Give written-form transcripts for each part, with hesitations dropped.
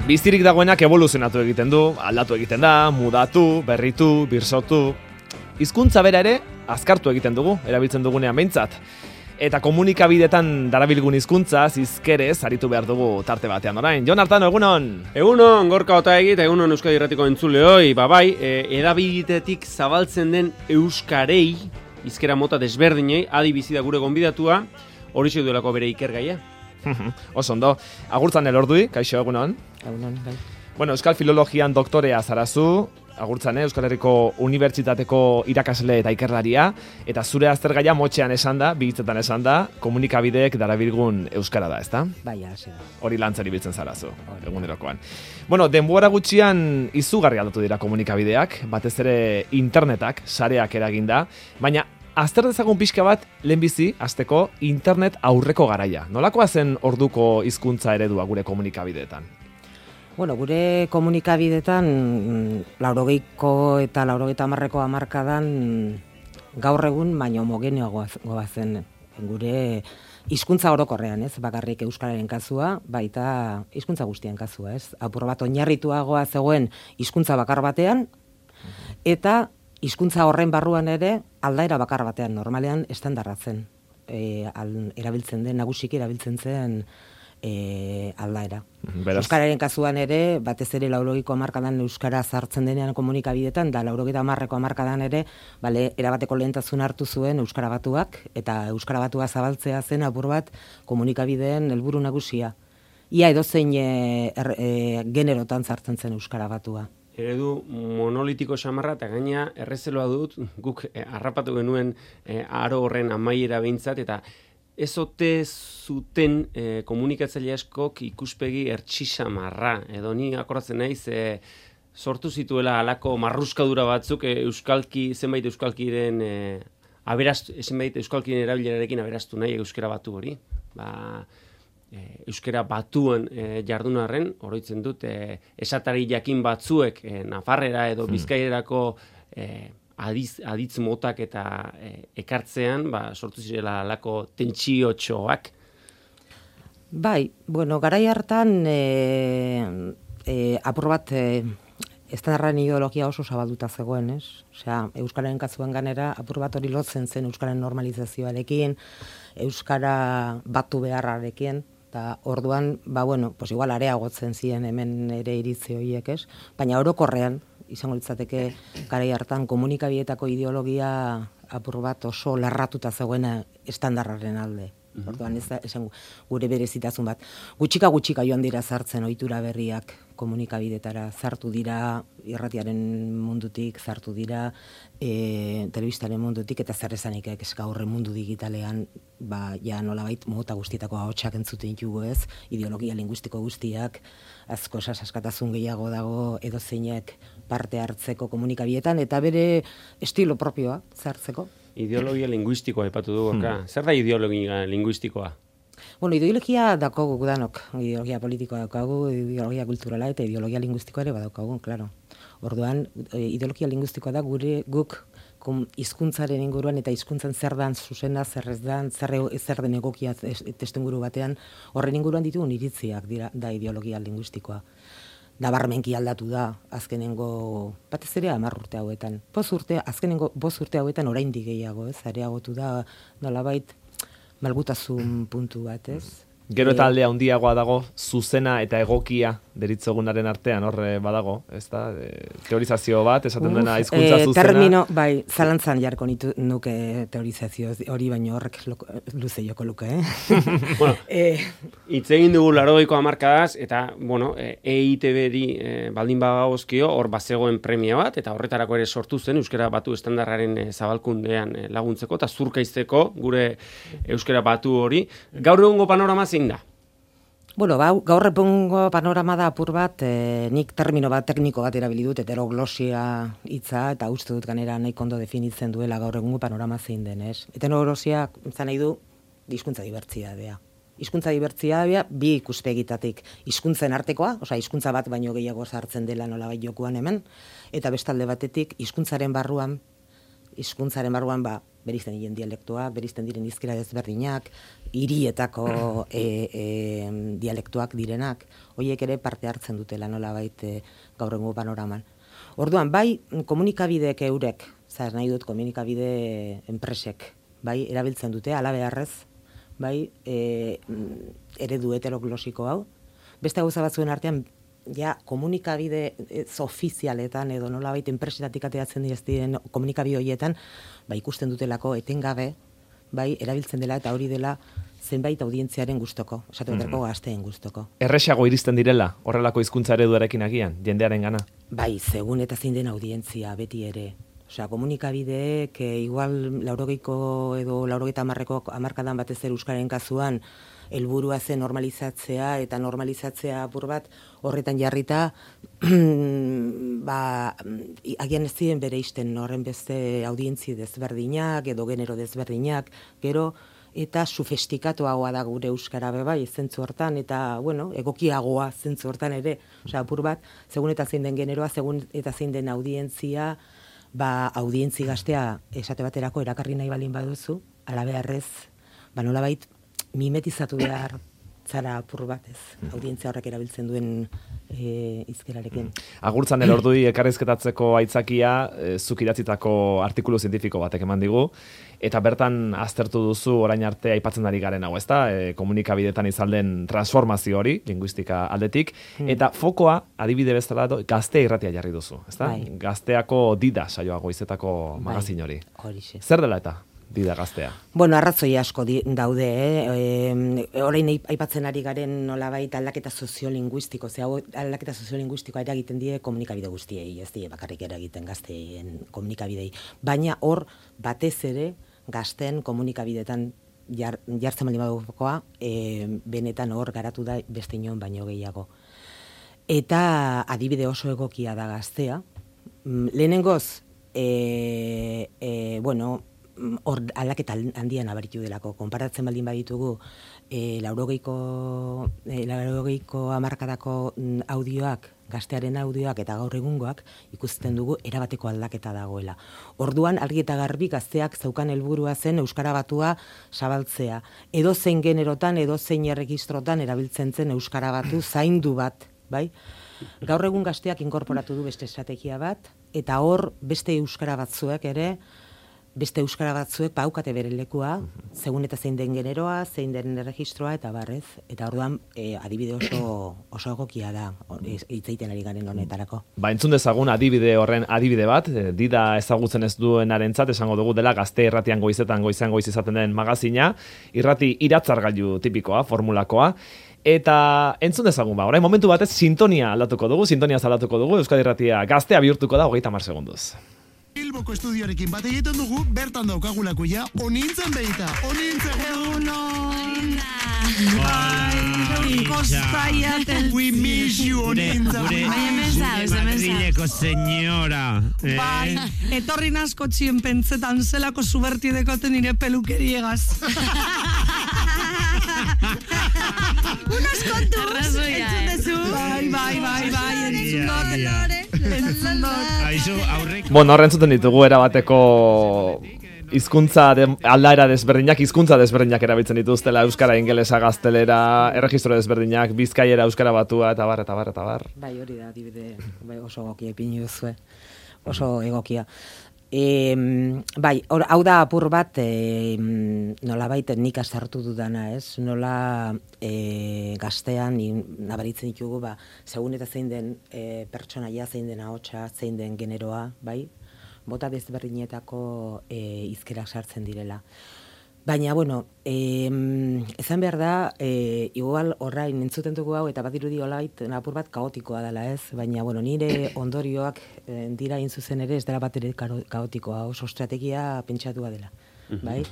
Bizirik dagoenak evoluzionatu egiten du, aldatu egiten da, mudatu, berritu, birsotu. Hizkuntza bera ere, azkartu egiten dugu, erabiltzen dugunean behintzat. Eta komunikabidetan darabilgun hizkuntza hizkerez aritu behar dugu tarte batean orain. Jon Artano, egunon! Egunon, Gorka Otaegi eta egunon Euskadi Irratiko entzuleoi. Bai, edabidetatik zabaltzen den euskarei, hizkera mota desberdinei, adi bizi da gure gonbidatua, horixe duelako bere ikergaia. Oso ondo. Agurtzan elordui, kaixo, egunon? Egunon, bai. Bueno, Euskal Filologian doktorea zarazu, agurtzan, Euskal Herriko Unibertsitateko irakasle eta ikerlaria, eta zure aztergaia motxean esan da, bihitzetan esan da, komunikabideek darabilgun euskara da, ezta? Bai, hasi da. Hori lantzari biltzen zarazu, egunerokoan. Bueno, denbora gutxian izugarri aldatu dira komunikabideak, batez ere internetak, sareak eraginda, baina azter dezagun pixka bat, lehenbizi, hasteko internet aurreko garaia. Nolakoa zen orduko hizkuntza eredua gure komunikabideetan? Bueno, gure komunikabidetan, 80ko eta 90ko hamarkadan gaur egun baino homogeneoagoa zen gure hizkuntza orokorrean, ez? Bakarrik euskararen kasua, baita hizkuntza guztien kasua, ez? Apur bat oinarrituagoa zegoen hizkuntza bakar batean, eta hizkuntza horren barruan ere aldaera bakar batean, normalean estandarratzen. Erabiltzen den, nagusiki erabiltzen zen aldaera. Beraz. Euskararen kasuan ere, batez ere 80ko hamarkadan euskara sartzen denean komunikabidetan, da 80ko hamarkadan ere, erabateko lehentasun hartu zuen euskara batuak, eta euskara batua zabaltzea zen apur bat komunikabideen helburu nagusia. Ia edozein generotan sartzen zen euskara batua. Eredu monolitiko xamarra eta gaina errezeloa dut, guk harrapatu genuen aro horren amaiera behintzat, eta ez ote zuten komunikatzaile askok ikuspegi ertxisamarra, edo ni akoratzen naiz sortu zituela halako marruskadura batzuk zenbait euskalkiren zenbait euskalkiren erabilerarekin aberastu nahi euskara batu hori. Euskara batuan jardunarren, oroitzen dut, esatari jakin batzuek Nafarrera edo Bizkaierako aditz motak eta ekartzean, sortu zirela alako tentsiotxoak. Bai, bueno, garai hartan apur bat estandarraren ideologia oso zabalduta zegoen, ez? Osea, euskararen kasuan ganera apur bat hori lotzen zen euskararen normalizazioarekin, euskara batu beharrarekin, eta orduan, igual areagotzen ziren hemen ere iritzi horiek, ez? Baina orokorrean, izango litzateke garai hartan komunikabideetako ideologia apur bat oso larratuta zegoena estandarraren alde. Orduan esan gure berezitasun bat. Gutxika joan dira sartzen ohitura berriak komunikabidetara, sartu dira irratiaren mundutik, sartu dira telebistaren mundutik, eta zer esanik gaur mundu digitalean ja nolabait mota guztietako ahotsak entzuten ditugu, ez? Ideologia linguistiko guztiak, asko askatasun gehiago dago edozeinek parte hartzeko komunikabidetan, eta bere estilo propioa sartzeko. Ideologia linguistikoa aipatu du, Gorka. Zer da ideologia linguistikoa? Bueno, ideologia daukagu danok. Ideologia politikoa daukagu, ideologia kulturala eta ideologia linguistikoa ere badaukagu, klaro. Orduan, ideologia linguistikoa da guk hizkuntzaren inguruan eta hizkuntzan zer dan zuzena, zer ez dan, zer den egokia testuinguru batean, horren inguruan ditugun iritziak da ideologia linguistikoa. Nabarmenki aldatu da azkenengo batez ere 10 urte hauetan. Azkenengo 5 urte hauetan oraindik gehiago, ez? Areagotu da nolabait malgutasun puntu bat, ez? Gero eta aldea handiagoa dago, zuzena eta egokia deritzogunaren artean horre badago, ez da? Teorizazio bat, esaten dena hizkuntza zuzena. Termino, zalantzan jarko nuke teorizazio hori, baino horrek luze joko luke, Bueno, hitz egin dugu 80ko hamarkadaz, eta, EITB-ri baldin bagagozkio, hor bazegoen premia bat, eta horretarako ere sortu zen euskara batu estandarraren zabalkundean laguntzeko, eta zurkaizteko gure euskara batu hori. Gaur egungo panorama zein da? Bueno, gaur egungo panorama da apur bat, nik termino bat, tekniko bat erabili dut, heteroglosia hitza, eta uste dut ganera nahiko ondo definitzen duela gaur egungo panorama zein den, ez? Heteroglosia izan nahi du hizkuntza dibertsitatea. Hizkuntza dibertsitatea bi ikuspegitatik, hizkuntzen artekoa, osea hizkuntza bat baino gehiago sartzen dela nolabait jokuan hemen, eta bestalde batetik hizkuntzaren barruan berizten diren dialektoak, berizten diren hizkera desberdinak, hirietako dialektuak direnak, horiek ere parte hartzen dutela nolabait gaur egungo panoraman. Orduan, bai komunikabideek eurek, nahi dut komunikabide enpresek, bai erabiltzen dute, ala beharrez, bai eredu heteroglosiko hau. Beste gauza batzuen artean, ja komunikabide ofizialetan edo nolabait enpresetatik ateratzen diren komunikabide horietan, bai ikusten dutelako etengabe, bai erabiltzen dela eta hori dela zenbait audientziaren gustoko, esateako gazteen gustoko. Erresago iristen direla, horrelako hizkuntza ereduarekin agian, jendearen gana? Bai, segun eta zein den audientzia beti ere. Osea, komunikabideek igual 80ko edo 80ko hamarkadan batez ere euskararen kasuan helburua zen normalizatzea eta normalizatzea apur bat horretan jarrita agian ez ziren bereizten horren beste audientzi desberdinak edo genero desberdinak, gero eta sofistikatuagoa da gure euskara bai zentzu hortan eta egokiagoa zentzu hortan ere, osea apur bat segun eta zein den generoa, segun eta zein den audientzia, audientzi gaztea esate baterako erakarri nahi balin baduzu, ala beharrez, nolabait mimetizatu behar zara apur batez, audientzia horrek erabiltzen duen hizkerarekin. Agurtzan elordui ekarrizketatzeko aitzakia, zuk idatzitako artikulu zientifiko batek eman digu, eta bertan aztertu duzu orain arte aipatzen ari garen hau, ezta? Komunikabidetan izalden transformazio hori, linguistika aldetik, eta fokoa, adibide bezala, Gaztea irratia jarri duzu, ezta? Gazteako Dida saioa goizetako magazin hori. Horixe. Zer dela eta? Dida Gaztea. Arrazoi asko daude, orain aipatzen ari garen nolabait aldaketa soziolinguistiko, aldaketa soziolinguistikoa eragiten die komunikabide guztiei, ez die bakarrik eragiten gazteen komunikabidei. Baina hor batez ere gazten komunikabidetan jartzen baldin badukoa, benetan hor garatu da beste inon baino gehiago. Eta adibide oso egokia da Gaztea. Lehenengoz, hor aldaketa handian abaritu delako. Konparatzen baldin baditugu, 80ko hamarkadako audioak, Gaztearen audioak eta gaur egungoak ikusten dugu erabateko aldaketa dagoela. Orduan, argi eta garbi Gazteak zeukan helburua zen euskara batua zabaltzea. Edozein generotan, edozein erregistrotan erabiltzen zen euskara batu zaindu bat, bai? Gaur egun Gazteak inkorporatu du beste estrategia bat, eta hor beste euskara batzuek ere, beste euskara batzuek baukate bere lekua, segun eta zein den generoa, zein den erregistroa, eta barrez. Eta orduan, adibide oso egokia da, hitzeiten ari garen honetarako. Entzun dezagun adibide horren adibide bat, Dida ezagutzen ez duenarentzat esango dugu dela Gazte irratian goizetan goizean goiz izaten den magazina, irrati iratzargailu tipikoa, formulakoa, eta entzun dezagun orain momentu batez sintonia aldatuko dugu, Euskadi Irratia Gaztea bihurtuko da 30 segunduz. Bilboko estudioarekin bat egiten dugu, bertan daukagulako ja, onintzen behita, We miss you, onintzen. Madrileko señora. Bai, etorri nasko txien pentsetan zelako zuberti dekoten nire pelukeriegaz. Unos kontuz, entzun dezu. Bai, entzun dut. Horrentzuten ditugu erabateko aldaera desberdinak, hizkuntza desberdinak erabiltzen dituztela, euskara, ingelesa, gaztelera, erregistro desberdinak, bizkaiera, euskara batua, eta bar. Bai, hori da, adibide, oso egokia ipini duzue, oso egokia. Hau da apur bat, nolabait nik azartu dudana, ez? Nola Gaztean nabaritzen ditugu, segun eta zein den pertsonaia, zein den ahotsa, zein den generoa, bai? Bota desberdinetako hizkerak sartzen direla. Baina, esan behar da, igual orain entzuten dugu hau, eta bat irudi olait apur bat kaotikoa dela ez, baina, nire ondorioak dira zuzen ere ez dela bat ere kaotikoa, oso estrategia pentsatua dela, bai?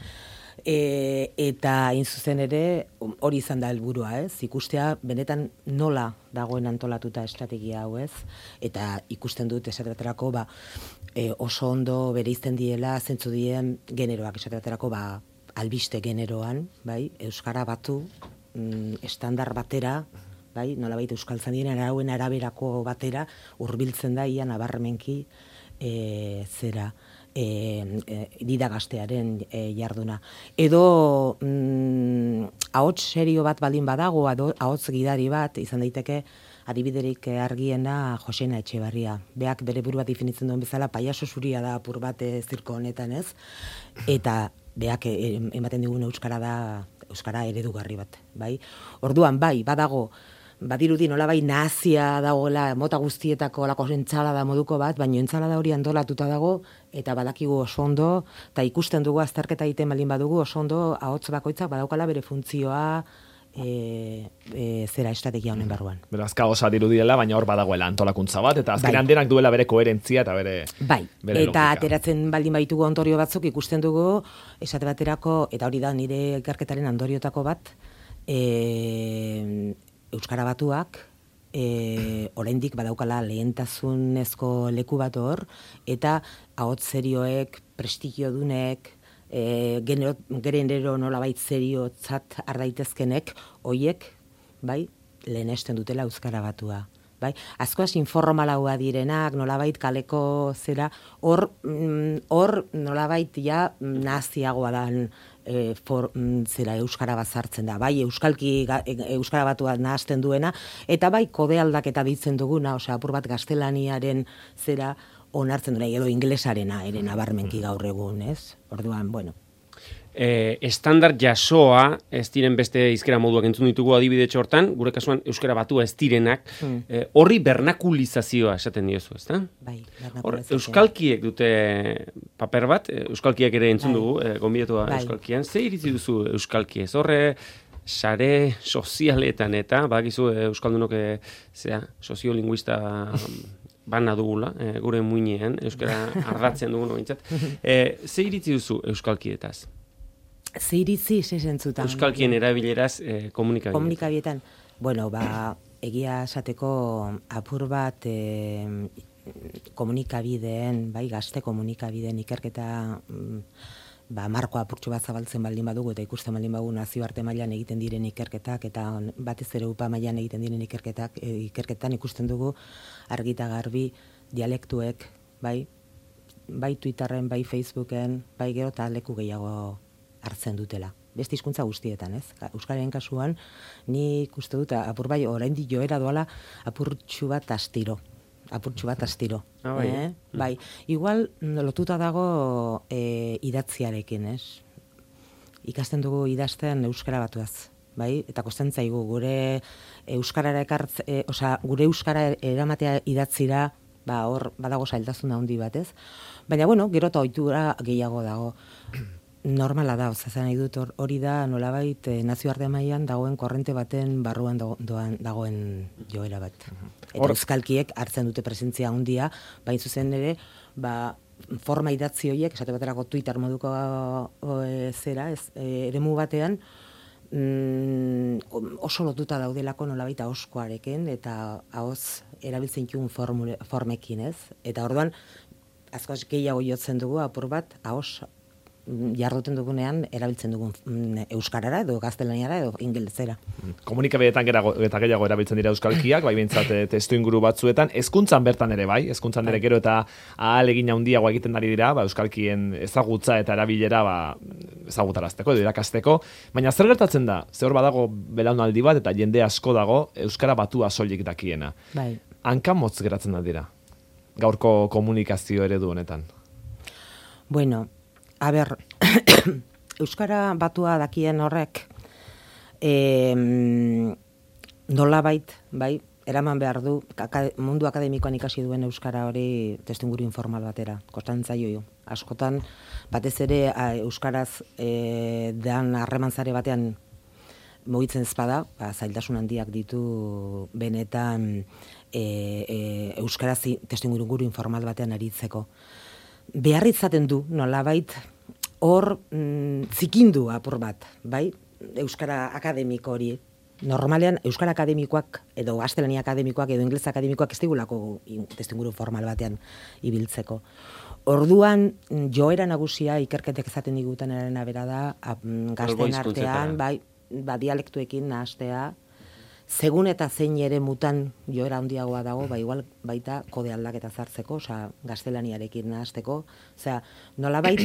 Eta zuzen ere hori izan da helburua, ez? Ikustea benetan nola dagoen antolatuta estrategia hau, ez? Eta ikusten dut esaterako oso ondo bereizten diela zentzu dien generoak esaterako albiste generoan, bai? Euskara batu estandar batera, bai? Nolabait euskaltzan diren arauen araberako batera hurbiltzen da ia nabarmenki zera Dida Gaztearen jarduna. Edo ahots serio bat baldin badago, ahots gidari bat, izan daiteke, adibiderik argiena Josena Etxebarria. Beak bere burua definitzen duen bezala, paiaso zuria da apur bat zirko honetan, ez? Eta beak ematen digun euskara eredugarri bat, bai? Orduan, bai, badago, badirudi nolabai nazia dagoela mota guztietako lako entsalada moduko bat, baina entsalada hori antolatuta dago, eta badakigu oso ondo, eta ikusten dugu azterketa egiten baldin badugu oso ondo ahots bakoitzak badaukala bere funtzioa, zera estrategia honen barruan. Beraz, kaosa dirudiela, baina hor badagoela antolakuntza bat, eta azkenean denak duela bere koherentzia eta bere eta logika. Ateratzen baldin baitugu ondorio batzuk ikusten dugu, esate baterako, eta hori da nire ikerketaren ondoriotako bat, Euskara Batuak oraindik badaukala lehentasunezko leku bat hor, eta ahots serioek, prestigiodunek, genero nolabait seriotzat ardaitezkenek, hoiek, bai, lehenesten dutela Euskara Batua. Bai? Askoaz informalaua direnak, nolabait kaleko zera, hor nolabait ja naziagoa dan zera Euskara bazartzen da. Bai, Euskara Batua nahazten duena, eta bai kode aldaketa ditzen duguna, osea, apur bat gaztelaniaren zera onartzen duena, edo ingelesarena ere nabarmenki gaur egun, ez? Orduan, bueno. Estandar jasoa ez diren beste hizkera moduak entzun ditugu adibide hortan, gure kasuan Euskara Batua ez direnak, horri bernakulizazioa esaten diozu, ezta? Bai, bernakulizazioa. Euskalkiek dute paper bat, euskalkiak ere entzun dugu, gonbidatua euskalkian. Ze iritzi duzu euskalkiez? Horre sare sozialetan eta, badakizu euskaldunok soziolinguista bana dugula, gure muinean, euskara ardatzen dugun behintzat. Ze iritzi duzu euskalkietaz? Ze iritzi zentzutan? Euskalkien erabileraz komunikabietan. Komunikabietan. Bueno, egia esateko apur bat komunikabideen, bai, gazte komunikabideen ikerketa markoa apurtxo bat zabaltzen baldin badugu eta ikusten baldin badugu nazioarte mailan egiten diren ikerketak eta batez ere UPA mailan egiten diren ikerketan ikusten dugu argita garbi dialektuek, bai Twitterren, bai Facebooken, bai gero eta leku gehiago hartzen dutela. Beste hizkuntza guztietan, ez? Euskararen kasuan, nik uste dut apur bai oraindik joera doala apurtxu bat astiro. Bai, igual lotuta dago idatziarekin, ez? Ikasten dugu idazten Euskara Batuaz, bai? Eta kosten zaigu gure euskarara gure euskara eramatea idatzira, hor badago zailtasun handi bat, ez? Baina bueno, gero eta ohitura gehiago dago. Normala da, zan nahi dut hori da nolabait nazioarte mailan dagoen korrente baten barruan dagoen joera bat. Eta euskalkiek hartzen dute presentzia handia, bain zuzen ere, forma idatzi horiek, esate baterako Twitter moduko eremu batean, oso lotuta daudelako nolabait ahoskoarekin eta ahoz erabiltzen dituen formekin, ez? Eta orduan, askoz gehiago jotzen dugu apur bat ahos jarduten dugunean erabiltzen dugun euskarara edo gaztelaniara edo ingelesera. Komunikabideetan eta gehiago erabiltzen dira euskalkiak, bai behintzat testu inguru batzuetan, hezkuntzan bertan ere bai, hezkuntzan ere gero eta ahalegin handiagoa egiten ari dira, euskalkien ezagutza eta erabilera ezagutarazteko edo irakasteko, baina zer gertatzen da? Ze hor badago belaunaldi bat eta jende asko dago Euskara Batua soilik dakiena. Bai. Hankamotz geratzen da dira, gaurko komunikazio eredu honetan. Bueno, a ber, Euskara Batua dakien horrek nolabait, bai, eraman behar du mundu akademikoan ikasi duen euskara hori testuinguru informal batera. Kostatzen zaio askotan batez ere euskaraz dan harremantzare batean mugitzen ezpada, zailtasun handiak ditu benetan euskaraz testuinguru informal batean aritzeko. Behar izaten du, nolabait, hor zikindu apur bat, bai? Euskara akademiko hori. Normalean, Euskara akademikoak, edo gaztelania akademikoak, edo inglesa akademikoak ez digulako testuinguru formal batean ibiltzeko. Orduan, joera nagusia ikerketek ezaten digutenaren abera da, gazten artean, bai, dialektuekin nahastea, Segun eta zein ere mutan joera handiagoa dago, igual baita kode aldaketa zartzeko, gaztelaniarekin nahasteko, nolabait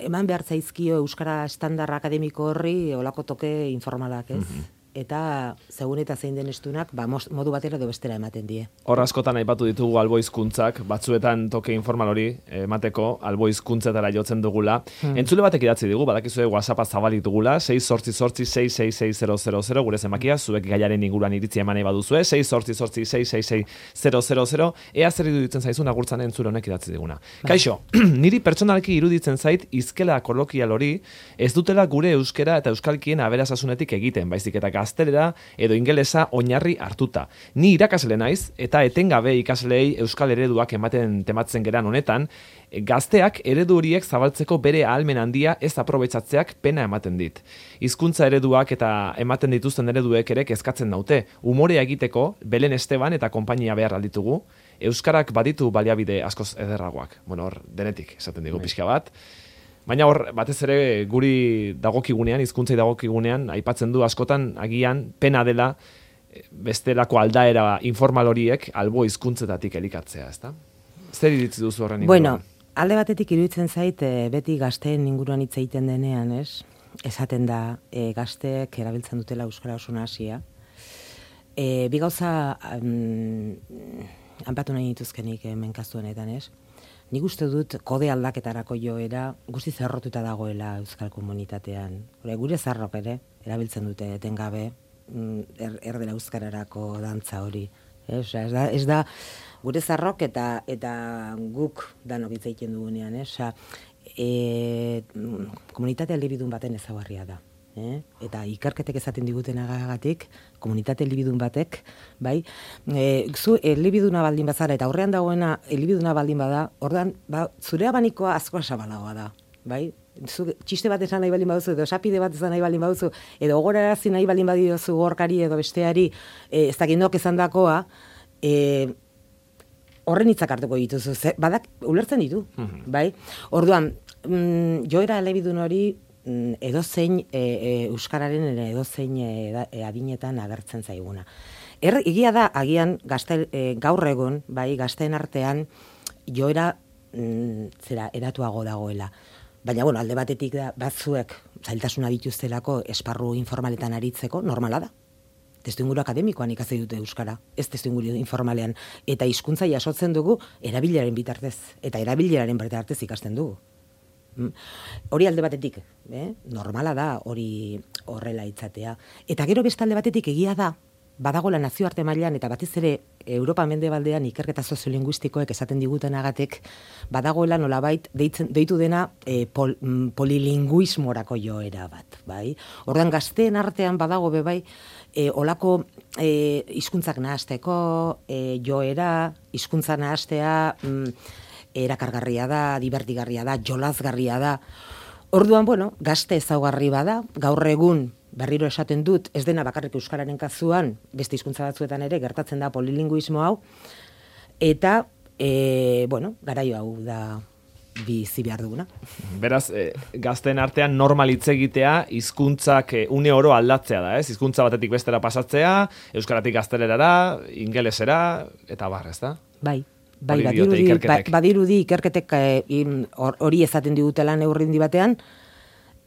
eman behar zaizkio euskara estandar akademiko horri olako toke informalak, ez? Eta segun eta zein den estunak, modu batera edo bestera ematen die. Hor askotan aipatu ditugu albohizkuntzak, batzuetan toke informal hori emateko albohizkuntzetara jotzen dugula. Entzule batek idatzi digu, badakizue WhatsAppa zabalik dugula, 688-666-000, gure zenbakia, zuek gaiaren inguruan iritzia eman nahi baduzue, 688-666-000, ea zer iruditzen zaizun agurtzan entzule honek idatzi diguna. Kaixo, niri pertsonalki iruditzen zait izkela kolokial hori ez dutela gure euskera eta euskalkien aberasasunetik egiten, baizik eta gaztelera edo ingelesa oinarri hartuta. Ni irakasle naiz eta etengabe ikasleei euskal ereduak tematzen geran honetan, gazteak eredu horiek zabaltzeko bere ahalmen handia ez aprobetxatzeak pena ematen dit. Hizkuntza ereduak eta ematen dituzten ereduek ere kezkatzen naute. Umorea egiteko Belen Esteban eta konpainia behar alditugu, euskarak baditu baliabide askoz ederragoak. Hor denetik esaten digu pixka bat. Baina hor, batez ere guri dagokigunean, hizkuntzai dagokigunean, aipatzen du askotan agian pena dela bestelako aldaera informal horiek albo hizkuntzetatik elikatzea, ezta? Zer iritzi duzu horren inguruan? Bueno, alde batetik iruditzen zait beti gazteen inguruan hitz egiten denean, ez? Esaten da gazteek erabiltzen dutela euskara oso nahasia. Bi gauza anpatu nahi dituzkenik menkazu honetan, ez? Nik uste dut kode aldaketarako joera guzti zerrotuta dagoela euskal komunitatean. Gure zarrok ere erabiltzen dute etengabe erdera euskararako dantza hori. Ez da gure zarrok eta guk danok hitz egiten dugunean, komunitate elebidun baten ezaugarria da. Eta ikerketek esaten digutenagatik, komunitate elebidun batek, bai, zu elebiduna baldin bazara eta aurrean dagoena elebiduna baldin bada, ordan zure abanikoa asko zabalagoa da, bai? Zu txiste bat esan nahi baldin baduzu, edo esapide bat esan nahi baldin baduzu, edo gogorarazi nahi baldin badiozu gorkari edo besteari, ez dakindok esandakoa, horren hitzak hartuko dituzu, badak ulertzen ditu, bai? Orduan, joera elebidun hori edozein euskararen edozein adinetan agertzen zaiguna. Egia da agian gaur egun, bai, gazteen artean joera eratuago dagoela. Baina, alde batetik da, batzuek zailtasuna dituztelako esparru informaletan aritzeko, normala da. Testuinguru akademikoan ikasi dute euskara, ez testuinguru informalean. Eta hizkuntza jasotzen dugu erabileraren bitartez, eta erabileraren bitartez ikasten dugu. Hori alde batetik, normala da hori horrela itzatea. Eta gero beste alde batetik egia da, badagoela nazioarte mailan eta batez ere Europa mendebaldean ikerketa soziolinguistikoek esaten digutenagatik badagoela nolabait deitu dena polilinguismorako joera bat, bai? Orduan gazteen artean badago bai olako hizkuntzak nahasteko joera, hizkuntza nahastea erakargarria da, divertigarria da, jolazgarria da. Orduan, gazte ezaugarri bada, gaur egun berriro esaten dut, ez dena bakarrik euskararen kasuan, beste hizkuntza batzuetan ere gertatzen da polilinguismo hau, eta, garaio hau da bizi behar duguna. Beraz, gazteen artean normal hitz egitea, hizkuntzak une oro aldatzea da, ez? Hizkuntza batetik bestera pasatzea, euskaratik gaztelerara, ingelesera, eta barrez da? Bai, badirudi ikerketek hori esaten digutela neurrindi batean,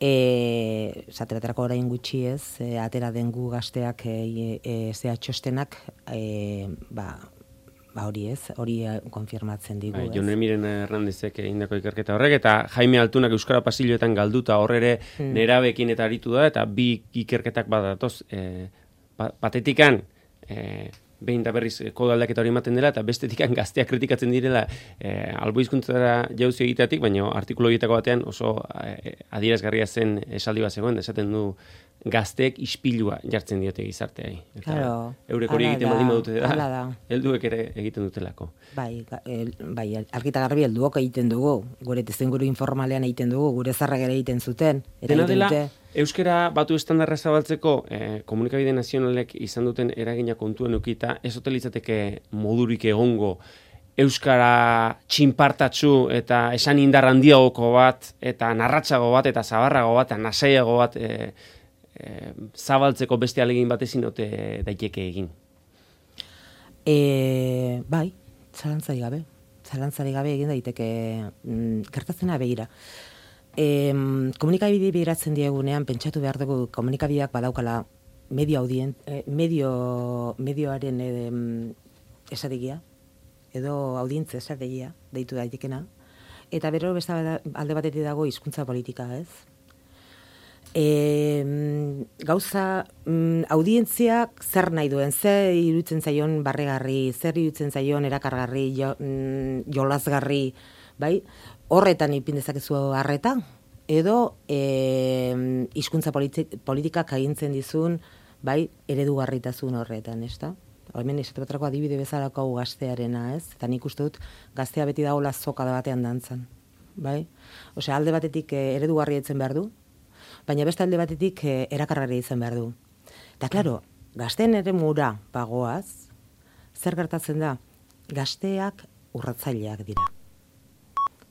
zateraterako orain gutxi ez, atera dengu gazteak txostenak, hori ez, hori konfirmatzen digu. Jon Emiren Hernandezek egindako ikerketa horrek, eta Jaime Altunak euskara pasilloetan galduta horrere nerabekin eta aritu da, eta bi ikerketak badatoz, patetikan, behin da berriz kode aldaketa hori ematen dela, eta bestetikan gazteak kritikatzen direla albohizkuntzara jauzi egiteatik, baina artikulu horietako batean oso adierazgarria zen esaldi bat zegoen, esaten du gazteek ispilua jartzen diote gizarteai. Claro, eurek hori egiten baldin badute da, helduek ere egiten dutelako. Bai, argita garbi helduok egiten dugu, gure testuinguru informalean egiten dugu, gure zarrak ere egiten zuten. Dena dela, euskara batu estandarra zabaltzeko komunikabide nazionalek izan duten eragina kontuan ukita, ez ote litzateke modurik egongo euskara txinpartatsu eta esan indar handiagoko bat, eta narratsago bat, eta zabarrago bat, eta nasaiago bat zabaltzeko beste alegin bat ezin ote daiteke egin? Bai, zalantzari gabe egin daiteke gertatzena begira. Komunikabide bideratzen diegunean pentsatu behar dugu komunikabideak badaukala medioaren estrategia edo audientzia estrategia deitu daitekena, eta bero beste alde batetik dago hizkuntza politika, ez? Gauza audientziak zer nahi duen, zer iruditzen zaion barregarri, zer iruditzen zaion erakargarri, jolasgarri, bai? Horretan ipin dezakezu harreta, edo hizkuntza politikak agintzen dizun, bai, eredugarritasun horretan, ezta? Hemen esatebatrako adibide bezalako gaztearena, ez? Eta nik uste dut gaztea beti dagoela zokada batean dantzan, bai? Osea, alde batetik eredugarria itzen behar du, baina beste alde batetik erakargarria izan behar du. Eta, klaro, gazteen eremura bagoaz, zer gertatzen da? Gazteak urratzaileak dira.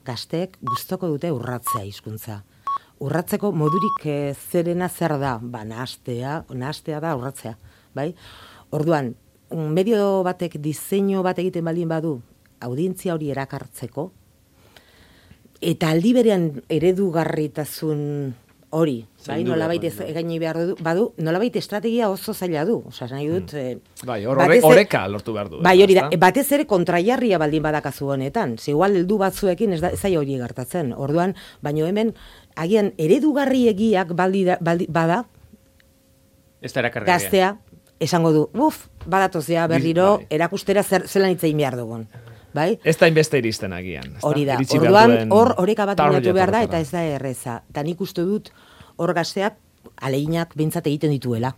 Gazteek gustoko dute urratzea hizkuntza. Urratzeko modurik zerena zer da? Ba, nahastea da urratzea, bai? Orduan, medio batek diseinu bat egiten baldin badu, audientzia hori erakartzeko, eta aldi berean eredugarritasun hori, bai, nolabait egaini behar badu, nolabait estrategia oso zaila du. Osea, nahi dut... Bai, oreka lortu behar du. Bai, hori da, batez ere kontraiarria baldin badakazu honetan. Igual heldu batzuekin ez zai hori gertatzen. Orduan, baino hemen, agian eredugarriegiak bada, ez da erakargarria. Gaztea, esango du, badatozea berriro, erakustera zelan hitz egin behar dugun. Bai? Ez da inbeste iristen agian. Hori da, orduan oreka bat bilatu behar da, eta ez da erreza. Eta nik uste dut hor gazteak aleginak behintzat egiten dituela.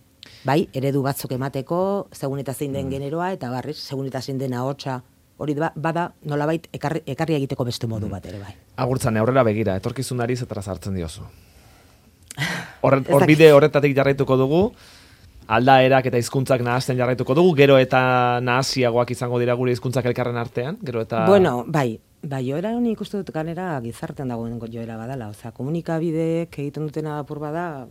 Bai, eredu batzuk emateko, segun eta zein den generoa, eta barriz, segun eta zein den ahotsa, hori bada nolabait ekarri egiteko beste modu bat ere, bai. Agurtzane, aurrera begira, etorkizunari zetara sartzen diozu. Hor bide horretatik jarraituko dugu, aldaerak eta hizkuntzak nahasten jarraituko dugu, gero eta nahasiagoak izango dira gure hizkuntzak elkarren artean, gero eta... Bueno, bai, joera honi ikustu dut ganera gizartean dagoen joera badala, osea, komunikabideek egiten dutena apur bada,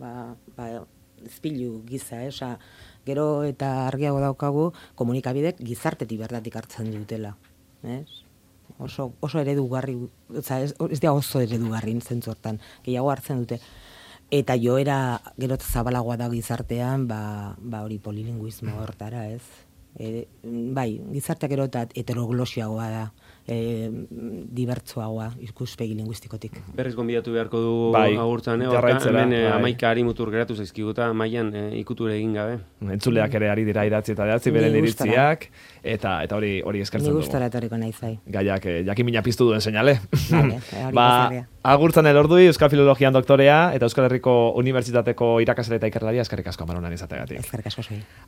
izpilu giza, osea, gero eta argiago daukagu komunikabideek gizartetik bertatik hartzen dutela, ez? Oso eredugarri, osea, ez da oso eredugarri zentzu hortan, gehiago hartzen dute. Eta joera gero zabalagoa da gizartean, hori polilinguismo hortara, ez? Bai, gizarteak gero eta heteroglosiagoa da, dibertsoagoa ikuspegi linguistikotik. Berriz gonbidatu beharko dugu agurtzan, hemen 11 ari mutur geratu zaizkiguta, mailan ikuture egin gabe. Entzuleak ere ari dira idatzi eta idatzi beren iritziak, eta hori eskertzen dugu. Ni gustora etorriko nahi zai. Gaiak jakimina piztu duen seinale. Agurtzan elordui, Euskal Filologian doktorea, eta Euskal Herriko Unibertsitateko irakasle eta ikerlaria, eskerrik asko amaronan izategatik. Eskerrik asko zui.